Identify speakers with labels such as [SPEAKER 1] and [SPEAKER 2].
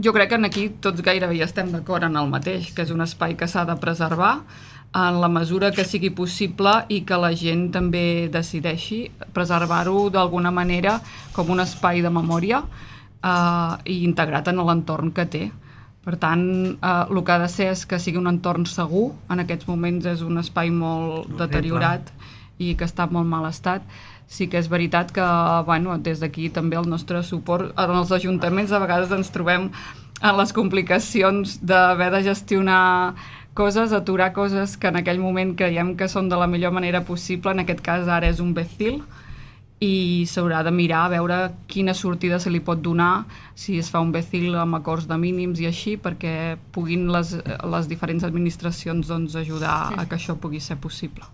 [SPEAKER 1] Jo crec que aquí tots gairebé ja estem d'acord en el mateix, que és un espai que s'ha de preservar en la mesura que sigui possible i que la gent també decideixi preservar-ho d'alguna manera com un espai de memòria i integrat en l'entorn que té. Per tant, el que ha de ser és que sigui un entorn segur. En aquests moments és un espai molt deteriorat i que està en molt mal estat. Sí que és veritat que des d'aquí també el nostre suport en els ajuntaments a vegades ens trobem en les complicacions d'haver de gestionar coses, aturar coses que en aquell moment creiem que són de la millor manera possible, en aquest cas ara és un BECIL, i s'haurà de mirar a veure quina sortida se li pot donar si es fa un BECIL amb acords de mínims i així, perquè puguin les diferents administracions ajudar a que això pugui ser possible.